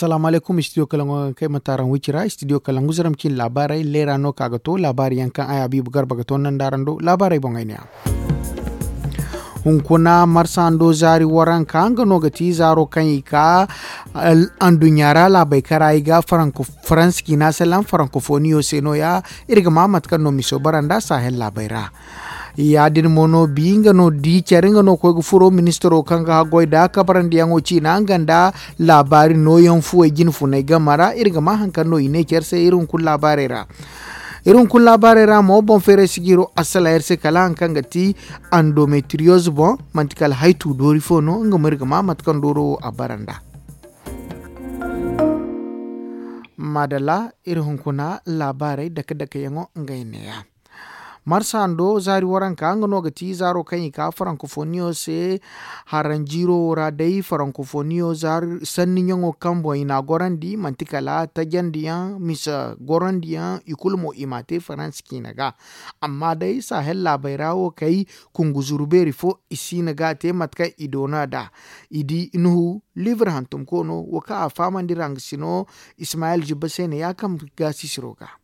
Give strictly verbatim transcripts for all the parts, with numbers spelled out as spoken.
Salaamu alaykum, studio kalangu ga kay mataaraŋ wicira, studio kalangu zaram cin laabaarey leera no ka ga to laabaari yaŋ kaŋ ay habiibu garba ga to nanda araŋ do laabaarey boŋ ay ne a. Hunkuna marsa ndo zaari waranka nga no ga ti zaaro kaŋ i ka anduɲɲa ra laabey kara i ga faransi ciina salaŋ farankofoniyo se no- ya. Iri ga ma mate kaŋ no miso bara nda sahel laabey ra. Ya- din mo no bi nga no di care nga no koy ga furo ministaro kaŋ ga haggoy nda kabarandiyaŋo ciina nga nda laabaari nooyaŋ fuwey jine funay game ra iri ga ma hari kaŋ no i ne care se iri hunkuna laabaarey ra. Iri hunkuna laabaarey ra mo boŋ feeray si ga hiro assala iri se kala hari kaŋ ga ti andometriyoz boŋ, manti kala haytu doori fo no nga mo iri ga ma mate kaŋ dooro wo a bara nda. Maadalla, iri hunkuna laabaarey dake dake yaŋo ngey neeya. Marsa ndo zaari waranka nga no ga ti zaaro kaŋ i ka farankofoniyo se. Haranjiiro wo ra day farankofoniyo sanni ɲaŋo kaŋ boŋ i n'a gorandi manti kala tajandiyaŋ misa gorandiyaŋ i kulu mo i m'a te faransi ciina ga. Amma day sahel laabey ra wo kay kungu zuru beeri fo i siina ga a te mate kaŋ i doona nd'a. I di nuhu liibir hantumko no wo kaŋ a fahamandi ranga sino ismayil jibba se ne ya kaŋ ga sisiro ga.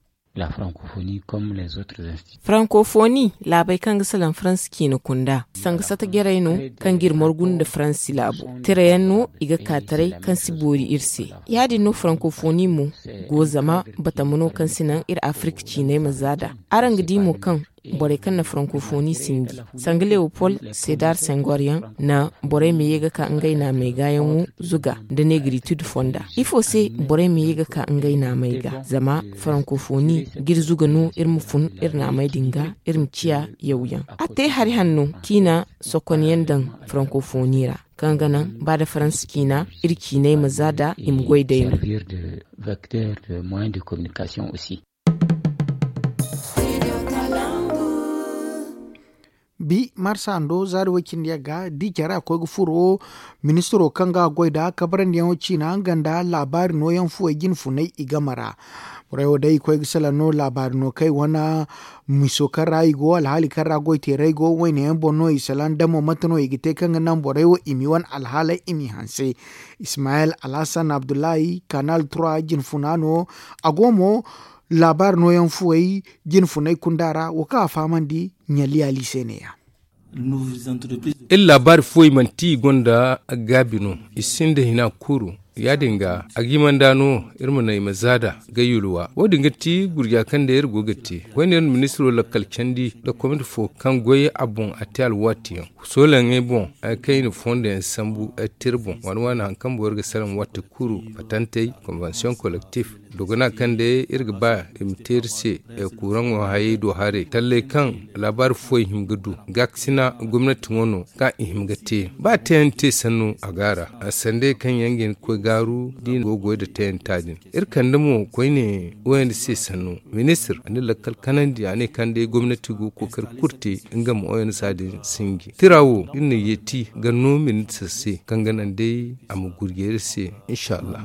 Farankofoni laabey kaŋ ga salaŋ faransi ciina kunda sanga sata jarey no kaŋ ga iri margu nda faransi laabo tira yaŋ no i ga ka taray kaŋ si boori iri se. Ya- din no farankofoni mo go zama batama no kaŋ si naŋ iri afirika ciiney ma za nd'a. Araŋ ga di mo kaŋ borey kaŋ na farankofoni sinji sanga leopol sedar sengor yaŋ na borey ma ye ga ka ngey naamey ga yaŋo zuga nda negritude fonda. Ifo se borey ma ye ga ka ngey naamey ga zama farankofoni ga iri zuga no iri ma fun iri naamey din ga iri ma ciya yawyaŋ. A te hari hanno ciina sokonyaŋ daŋ farankofoni ra kaŋ ga naŋ ba nda faransa ciina iri ciiney ma za nd'a i ma goy day no. Bi marsa ndo zaari way cindi yaŋ ga di care a koy ga furo ministiro kaŋ ga a goy nda kabarandiyaŋo ciina nga nda laabaari nooyaŋ fuwey jine funay i game ra. Borey wo day i koy ga salaŋ no laabaari no kaŋ i wane miso kaŋ ra i go alhaali kaŋ ra goy teeray go wayne yaŋ boŋ no i salaŋ damo mate no i ga te kaŋ ga naŋ borey wo i m'i wane alhaaley i m'i hanse. Ismayil alhasan abdullahi kanal trois jine funa no. A go mo laabaari nooyaŋ fuwey jine funay kunda ra wo kaŋ a fahamandi ɲalliyaali se ne- ya. Iri laabaari fuwey manti i gonda gaabi no i sinda hina kuru. Ya- din ga a ga himanda no iri ma naŋ i ma za nd'a ga yulwa wo- din ga ti gurja kaŋ day iri go ga te koyne iri na ministiro lakkal candi nda komiti fo kaŋ goy a boŋ a te alwaati yaŋ soolaŋey boŋ kaŋ i na fondo yaŋ sambu tira boŋ waani waani hari kaŋ boro ga salaŋ waati kuru patantey konvensiyoŋ kolektif. Dogona kaŋ day iri ga ba i ma te iri se kuraŋo hayey do haray talley kaŋ laabaari fuwey hima ga du gaakasina gomnati ŋo no kaŋ i hima ga te ba teeyaŋ te sanno a go a ra. Sandey kaŋ yaŋ ga hin ga koy gaaru da i na go ga goy nda teeyanta din iri kande mo koyne woyandi se sanno ministir a na lakkal kanandi a ne kaŋ day gomnati go ga kookari kulu te nga ma woyandi se a din sinji tira wo iri na yeeti ga no ministir se kaŋ ga naŋ day a ma gurje iri se. Insa allah.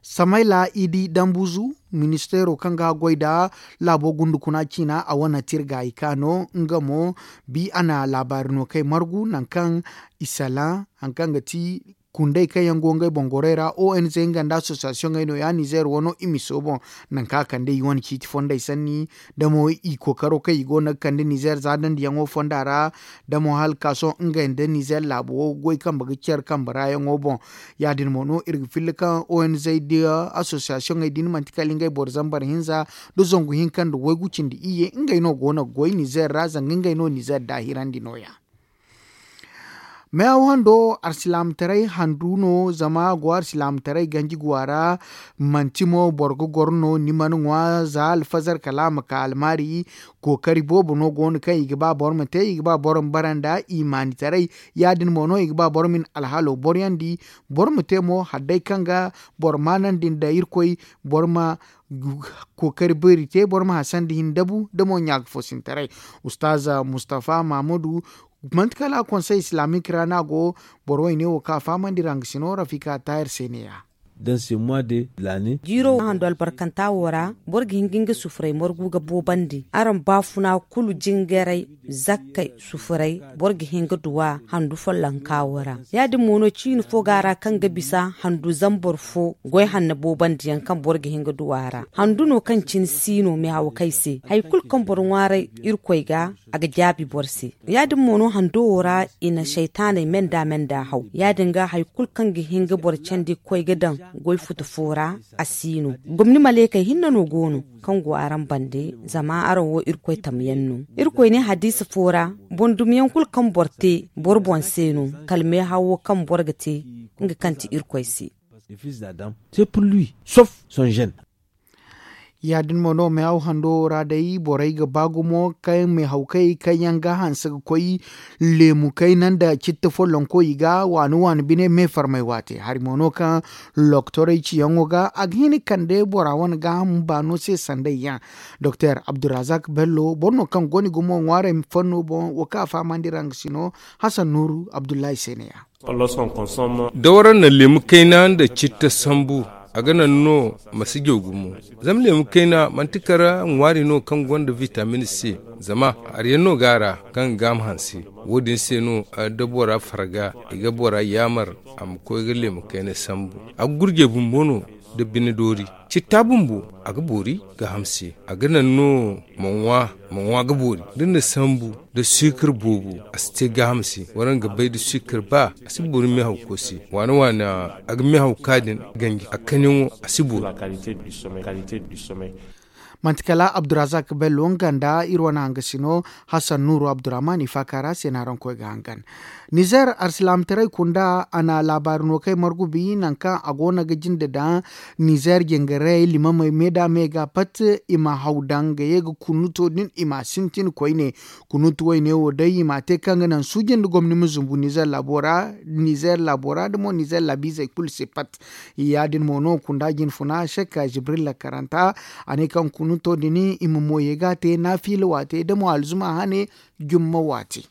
Samayla idi dambuzu ministeero kaŋ ga goy nda laabo gundu kuna ciina a wane tirga i ka no nga mo bi a na laabaari no kay margu nangu kaŋ i salaŋ hari kaŋ ga ti kundey kaŋ yaŋ go ngey boŋ gorey ra o n z nga nda association ey no ya nizer wano i miso boŋ nangu kaŋ a kande i wane ciiti fondey sanni da mo i kookaro kaŋ i go no ga kande nizer za dandiyaŋo fonda ra da mo hala ka sohõ ngey nda nizer laabo goy kambe ga care kambe ra yaŋo boŋ. Ya- din mo no iri ga filla kaŋ o n z nda association ey din manti kala ngey boro zambar hinza nda zangu hinka nda waygu cindi iyye ngey no go no ga goy nizer ra zanga ngey no nizer daahirandi no- ya. Meehaw hando alsilaamataray handu no zama a go alsilaamataray ganji guwa ra. Manti mo boro ga goro no ni mana ŋwa za alfazar kala a ma ka almaari. Kookari boobo no go no kaŋ i ga ba boro ma te i ga ba boro ma bara nda imaanitaray. Ya- din mo no i ga ba boro ma i na alhaalo boroyandi boro ma te mo hala day kaŋ ga boro maanandi nda irkoy boro ma kookari beeri te boro ma hasandi hin dabu da mo ɲaaka foosintaray. Ustaaza mustafa mahamudu manti kala konsey islaamik ra no a go. Boro wayne wo kaŋ a fahamandi ra nga si no rafika taahir se ne- ya. Jiiro handu albarkanta wo ra boro ga hin ga nga sufuray margu ga boobandi araŋ baafuna kulu jingaray zakkey sufuray boro ga hin ga duw'a handu follonka wo ra. Ya- din mo no ciini fo go a ra kaŋ ga bisa handu zambar fo goy hanno boobandi yaŋ kaŋ boro ga hin ga duw'a ra handu no kaŋ cine si no meehawkey se hari kulu kaŋ boro ŋwaaray irkoy ga a ga jaabi boro se. Ya- din mo no hando wo ra i na saytaaney me nda me nda haw ya- din ga hari kulu kaŋ ga hin ga boro candi ga koy ga daŋ goy futu fo ra. A si no gomni maleekey hinne no go no kaŋ go araŋ bande zama araŋ wo irkoy tamyaŋ no. Irkoy ne hadiisa fo ra boŋ dumiyaŋ kulu kaŋ boro te boro boŋ se no kala meehawo kaŋ boro ga te nga kaŋ ti irkoy se. Ya- din mo no meehaw hando wo ra day borey ga ba gumo kaŋ meehawkey kaŋ yaŋ ga hanse ga koy leemu kayna nda citta follonko i ga waani waani bine meefarmay waate hari mo no kaŋ loktorey ciyaŋo ga a ga hin ga kande bora wane gaaham baano se sanday yaŋ. Doktor abdurazak bello boro no kaŋ go ni gumo ŋwaarey fanno boŋ wo kaŋ a fahamandi ra nga si no hasan nuuru abdullahi se ne- ya. Da waraŋ na leemu kayna nda citta sambu a ga naŋ no ma si jaw gumo. Zama leemu kayna manti kala ŋwaari no kaŋ gonda vitamin se zama hari yaŋ no go a ra kaŋ ga gaaham hanse. Wo- din se no da bora farga i ga bora yaamar a ma koy ga leemu kayna sambu. A ga gurjey bumbo no nda bine doori citta bumbo a ga boori gaaham se. A ga naŋ no ma ŋwa ma ŋwa ga boori da ni na sambu nda siikar boobo a si te gaaham se waraŋ ga bay nda siikar ba a si boori meehawko se. Waana waana a ga meehaw ka din ganji a kaŋyaŋo a si boori. Manti kala abdurazak bello nga nda iri wane hangasino hasan nuuru abdurrahman i faaka ra se no araŋ koy ga hangan. Nizer arsilaamataray kunda a na laabaari no kay margubi nangu kaŋ a go no ga jinde daŋ nizer jingarey limamey me da me ga pat i ma haw daŋ ga ye ga kunuto din i ma sintin koyne. Kunuto wayne wo day i ma te kaŋ ga naŋ suuji nda gomni ma zumbu nizer laabo ra da mo nizer laabiizey kulu se pat. Ya- din mo no kunda jinfuna shek jibril lakaranta a ne kaŋ kunuto din i ma mo ye ga a te naafiila waate da mo alzuma hane jumma waate.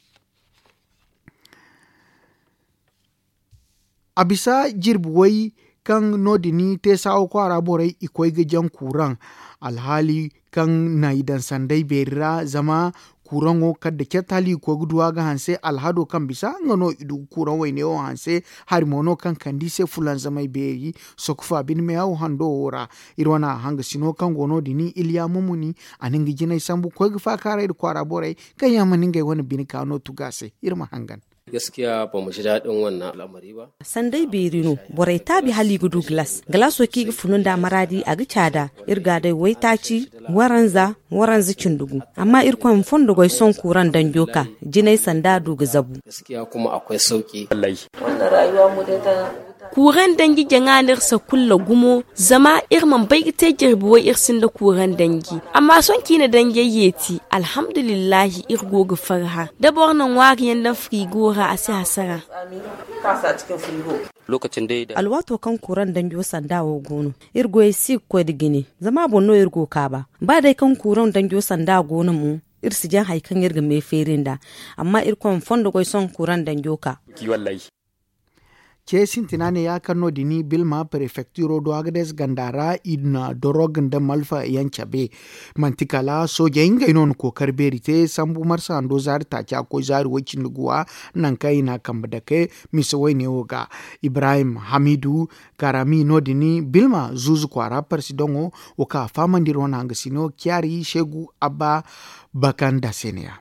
A bisa jirbi way kaŋ no- din te saawo kwaara borey i koy ga jaŋ kuuraŋ alhaali kaŋ na i daŋ sanday beeri ra zama kuuraŋo kala da cat hala i ga koy ga du a ga hanse alhado kaŋ bisa nga no i du ga kuuraŋ wayne wo hanse. Hari mo no kaŋ kande i se fulanzamay beeri sokofa bine meehaw hando wo ra. Iri wane hangasino kaŋ go no- din iliya mumuni a na nga jinay sambu koy ga faakaaray nda kwaara borey kaŋ yaŋ mana ngey wane bine ka no tugu a se. Iri ma hangan. Sanday beeri no borey taabi hala i ga du galas galaso kaŋ i ga funu nda a maraadi a ga caada. Iri ga a day waytaaci waranza waranza cindi gu. Amma irkoy ma fondo goy sohõ kuuraŋ danjo ka jinay sanda a du ga zabu. Kuuraŋ danji jaŋa no iri sakulla gumo zama iri mana bay ga te jirbi way iri sinda kuuraŋ danji. Amma sohõ kaŋ i na danjey yeeti alhamdulillahi iri go ga farhã da boro na ŋwaari yaŋ daŋ firigo ra a si hasara. Alwaato kaŋ kuuraŋ danjo sanda wo go no iri goyey si ga koy nda jine. Zama a boŋ no iri go ga kaaba ba day kaŋ kuuraŋ danjo sanda go no mo iri si jaŋ hari kaŋ iri ga me feeri nd'a. Amma irkoy ma fondo goy sohõ kuuraŋ danjo ka. Ce sintina ne ya kaŋ no- din bilma prefektiro do agades ganda ra i na dorog nda malfa yaŋ cabe. Manti kala soojey ngey no na kookari beeri te sambu marsa hando zaari taaci a ga koy zaari way- cindi guwa nangu kaŋ i na a kambe dake. Mise wayne wo ga ibrahim hamidu karami no- din bilma zuuzu kwaara parsidoŋo wo kaŋ a fahamandi iri wane hangasino ciyaari seegu abba bakanda se ne- ya.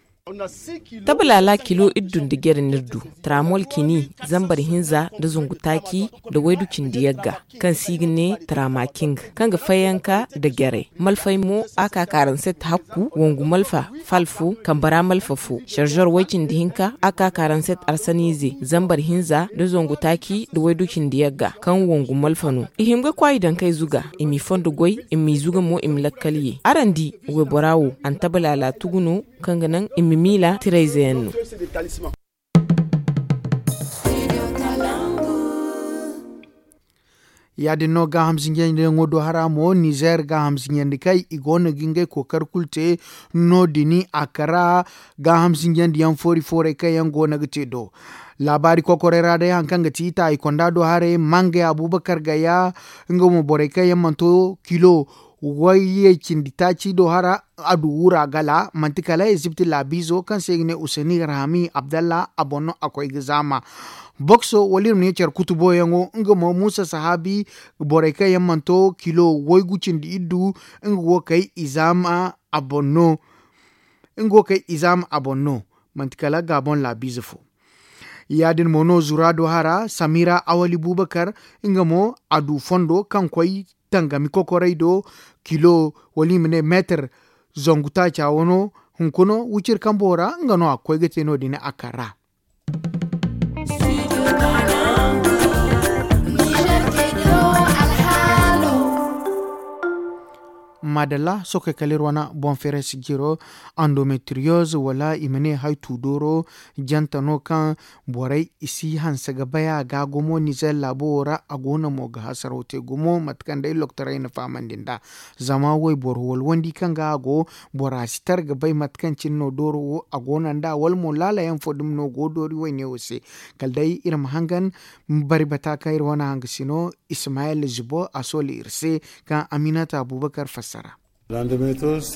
Tabalaala kilo iddu nda jere n'iri du, tramol kini zambar hinza nda zungu taaci nda waydu cindi yagga, kaŋ se i ga ne tramaking, kaŋ ga fayanka nda jarey. Malfay mo a ka ka ranset hakku wangu malfa, fal fo kambara malfa fo sharzor way cindi hinka a ka ka ranset arsaniize zambar hinza nda zangu taaci nda waydu cindi yagga, kaŋ wangu malfa no. I hima ga kwaay daŋ kay zuga, i m'i fondo goy, i m'i zuga mo i ma lakkal ye. Araŋ di, waybora wo antabalaala tugu no, kaŋ ga naŋ i ma miila tirayze yaŋ no. Ya- din no gaaham zinjandiyaŋo do hara mo nizeer gaaham zinjandi kay i go no ga ngey kookari kulu te. No- din a kara gaaham zinjandiyaŋ foori fooray kaŋ yaŋ go no ga te do. Laabaari kokoray ra day hari kaŋ ga ti taayi konda do haray mangay abubakar gaya. Nga mo borey kaŋ yaŋ mana to kilo wayyey cindi taaci do hara. A du wura gala manti kala ezipti laabiizo kaŋ se i ga ne useni rahami abdalla a boŋ no a koy ga zaama. Bokso wala iri ma ne care kutuboyaŋo nga mo muusa sahaabi borey kaŋ yaŋ mana to kilo waygu cindi iddu. Nga go ga kay i zaama a boŋ no. Nga go ga kay i zaama a boŋ no. Manti kala gaaboŋ laabiize fo. Ya- din mo no zura do hara samira awali bubakar nga mo a du fondo kaŋ koy tangami kokoray do kilo wala i ma ne meetar zangu taaca wano. Hunkuna wiciri kambo ra nga no a ga koy ga te no- din a kar ra. Maadalla sohõ kay kala iri wane boŋ feeray si jiro andometriyoz wala i ma ne haytu dooro jante no kaŋ borey i si hanse ga bay a ga gumo nizer laabo wo ra a go no mo ga hasaraw te gumo mate kaŋ day loktorey na fahamandi nd'a. Zama wayboro walwandi kaŋ ga a go bora si tara ga bay mate kaŋ cine no dooro wo a go no nd'a wala mo laala yaŋ fo dumi no go doori wayne wo se. Kala day iri ma hangan bari bata kaŋ iri wane hangasino ismayel zubo a sooli iri se kaŋ aminata abubakar fassara.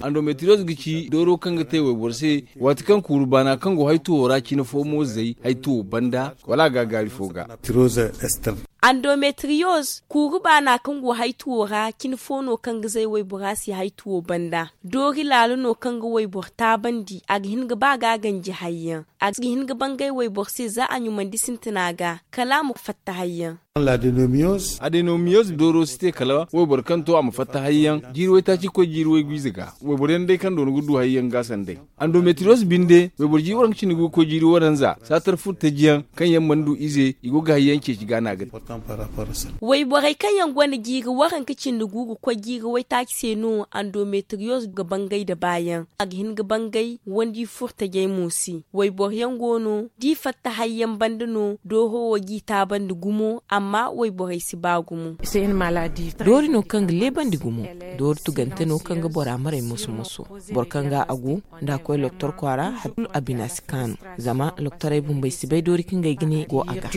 Andometriyoz ga ci dooro kaŋ ga te wayboro se waati kaŋ kuuru baana kaŋ go haytuwo ra cine fo mo zay haytuwo banda wala a ga a gaari fo ga. Andometriyoz kuuru baana kaŋ go haytuwo ra cine fo no kaŋ ga zay waybora se haytuwo banda. Doori laalo no kaŋ ga wayboro taabandi a ga hin ga ba ga a ganji hayyaŋ. A ga hin ga bangay wayboro se za a ɲumandi sintina ga kala a ma fatta hayyaŋ. Adenomiyoz dooro si te kala wayboro kaŋ to a ma fatta hayyaŋ jiiri waytaaci ga koy jiiri waygu ize ga. Wayboro yaŋ day kaŋ doona ga du hayyaŋ ga a sanday. Andometriyoz binde wayboro jiiri waranka cindi ga koy jiiri waranza saatar furo taji yaŋ kaŋ yaŋ mana du ize i go ga hayyaŋ ceeci ga a na ga te. Wayborey kaŋ yaŋ gonda jiiri waranka cindi gu ga koy jiiri waytaaci se no andometriyoz ga bangay nda baayaŋ. A ga hin ga bangay wandi furo tajey mo se. Wayboro yaŋ go no da i fatta hayyaŋ banda no dooro wo g'i taabandi gumo amma wayborey si ba gumo. Doori no kaŋ ga leebandi gumo. Doori tugante no kaŋ ga bora maray moso moso. Boro kaŋ ga a gu nda a koy loktor kwaara hari kulu a bina si kaanu. Zama loktorey bumbey si bay doori kaŋ ga ay ga ne go a ga.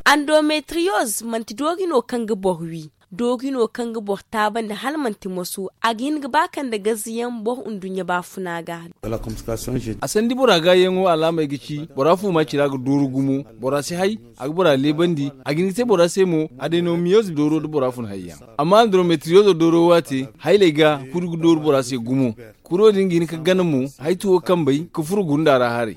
Andometriyoz manti doori no kaŋ ga boro wi. Doori no kaŋ ga boro taabandi hala manti moso a ga hin ga ba kande gaziyaŋ boro nduɲɲa baafuna ga. A sandi bora gaayaŋo alaamey ga ci bora fuuma cira ga dooru gumo. Bora si hay a ga bora leebandi. A ga hin ga te bora se mo adenomiyoz dooro da bora fun hayyaŋ. Amma andrometriyozo dooro waate hayley ga kuri ga dooru bora se gumo. Kuro din ga hin ka gana mo haytuwo kambey ka furo gunda ra haray.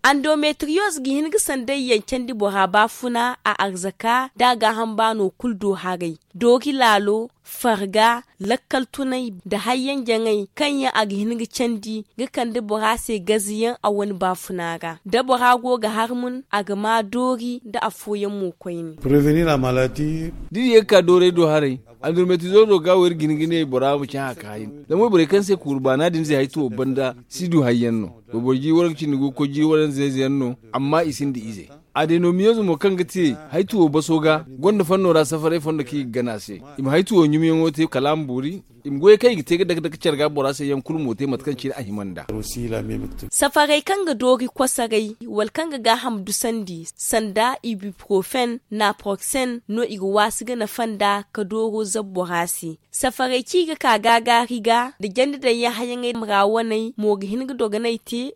Andometriyoz ga hin ga sanday yaŋ candi bora baafuna a arzaka da a gaaham baano kulu do haray. Doori laalo farga lakkal tunay nda hayyaŋ jaŋay kaŋ yaŋ a ga hin ga candi ga kande bora se gaziyaŋ a wane baafuna ra da bora go ga harmun a ga ma doori nda afooyaŋ mo koyne. Da iri ye ga ka doorey do haray andurumetizoro ga wo iri ga hin ga ne bora ma cahã ka hayan. Zama wayborey kaŋ se kuuru baana din zay haytuwo banda si du hayyaŋ no. Wayboro jiiri waranka cindi go ga koy jiiri waranza ize yaŋ no. Amma i sinda ize. Adenomiyoz mo kaŋ ga te haytuwo baso ga gonda fanno ra safaray fondo kaŋ i ga gana a se. I ma haytuwo ɲumiyaŋo te kala a ma boori. I ma goyey kaŋ i ga te ga dake dake care ga bora se yaŋ kulu mo te mate kaŋ cine a hima nd'a. Safaray kaŋ ga doori kosoray wala kaŋ ga gaaham dusandi sanda ibuprofen naproksen no i ga waasi ga nafa nd'a ka dooro zabu bora se. Safaray kaŋ i ga ka gaagaari ga nda jandi daŋ yaŋ hayaŋey ra waney mo ga hin ga dogonay te.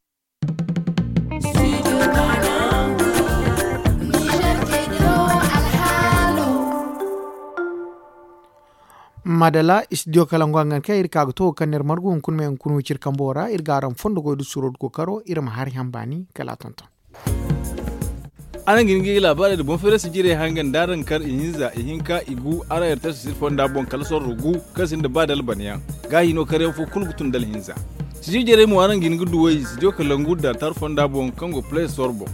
Maadalla istidiyo kala ngo hangan kaŋ iri ka ga to kaŋ no iri margu hunkuna me hunkuna wiciri kambo ra iri ga araŋ fondo goy da suro da kookaro iri ma hari haŋ baani kala a tonton. Araŋ ga hin ga i laabaarey nda boŋ feerasi jirey hangan da araŋ kar ihinza ihinka igu araŋ yartar sisir fonda boŋ kala sorro gu kaŋ sinda ba da alban yaŋ. Gaahi no karyaŋ fo kulu ga tun da alhinza. Sijir jarey mo araŋ ga hin ga duw'ey sijir kalangu da altar fonda boŋ kaŋ go play store boŋ.